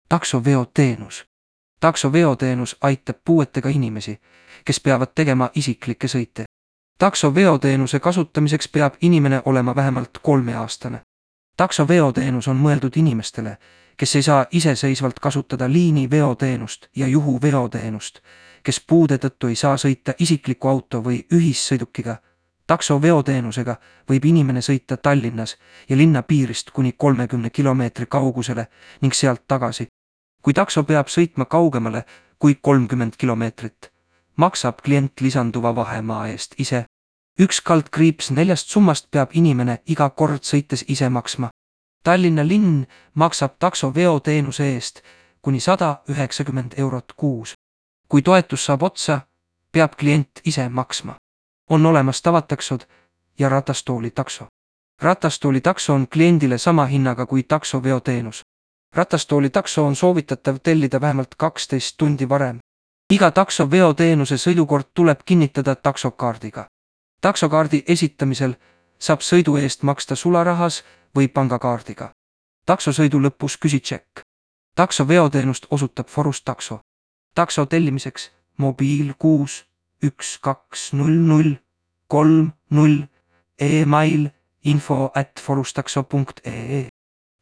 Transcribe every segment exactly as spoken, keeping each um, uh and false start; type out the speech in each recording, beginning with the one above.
Taksoveoteenus. Taksoveoteenus aitab puuetega inimesi, kes peavad tegema isiklikke sõite. Taksoveoteenuse kasutamiseks peab inimene olema vähemalt kolmeaastane. Taksoveoteenus on mõeldud inimestele, kes ei saa iseseisvalt kasutada liiniveoteenust ja juhuveoteenust, kes puude tõttu ei saa sõita isikliku auto või ühissõidukiga. Taksoveoteenusega võib inimene sõita Tallinnas ja linna piirist kuni kolmekümne kilomeetri kaugusele ning sealt tagasi. Kui takso peab sõitma kaugemale kui kolmkümmend kilomeetrit, maksab klient lisanduva vahemaa eest ise. Üks kaldkriips neljast summast peab inimene iga kord sõites ise maksma. Tallinna linn maksab taksoveoteenuse eest kuni sada üheksakümmend eurot kuus. Kui toetus saab otsa, peab klient ise maksma. On olemas tavataksod ja ratastoolitakso. Ratastoolitakso on kliendile sama hinnaga kui taksoveoteenus. Ratastoolitakso on soovitatav tellida vähemalt kaksteist tundi varem. Iga taksoveoteenuse sõidukord tuleb kinnitada taksokaardiga. Taksokaardi esitamisel saab sõidu eest maksta sularahas või pangakaardiga. Taksosõidu lõpus küsi tšekk. Taksoveoteenust osutab Forus takso. Takso tellimiseks mobiil kuus üks kaks null null kolm null e-mail info at forustakso punkt ee.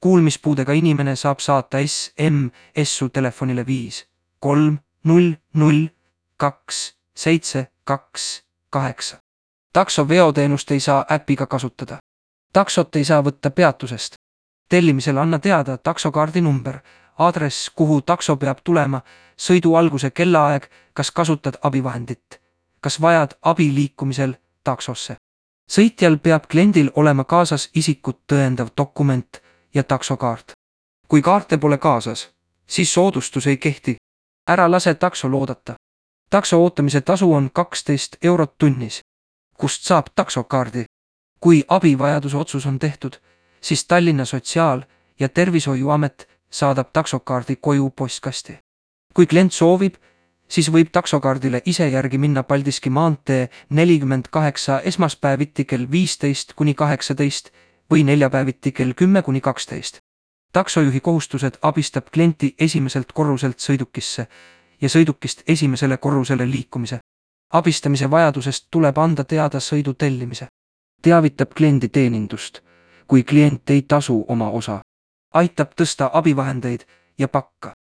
Kuulmispuudega inimene saab saata S M S-u telefonile viis kolm null null kaks seitse kaks kaheksa. Taksoveoteenust ei saa äpiga kasutada. Taksot ei saa võtta peatusest. Tellimisel anna teada taksokaardi number, aadress, kuhu takso peab tulema, sõidu alguse kellaaeg, kas kasutad abivahendit, kas vajad abi liikumisel taksosse. Sõitjal peab kliendil olema kaasas isikut tõendav dokument ja taksokaart. Kui kaarte pole kaasas, siis soodustus ei kehti. Ära lase takso loodata. Takso ootamise tasu on kaksteist eurot tunnis. Kust saab taksokaardi? Kui abivajaduse otsus on tehtud, siis Tallinna Sotsiaal- ja Tervishoiuamet saadab taksokaardi koju postkasti. Kui klient soovib, siis võib taksokaardile ise järgi minna Paldiski maantee nelikümmend kaheksa esmaspäeviti kell viisteist kuni kaheksateist või neljapäeviti kell kümme kuni kaksteist. Taksojuhi kohustused abistab klienti esimeselt korruselt sõidukisse ja sõidukist esimesele korrusele liikumise. Abistamise vajadusest tuleb anda teada sõidu tellimise. Teavitab kliendi teenindust, kui klient ei tasu oma osa. Aitab tõsta abivahendeid ja pakka.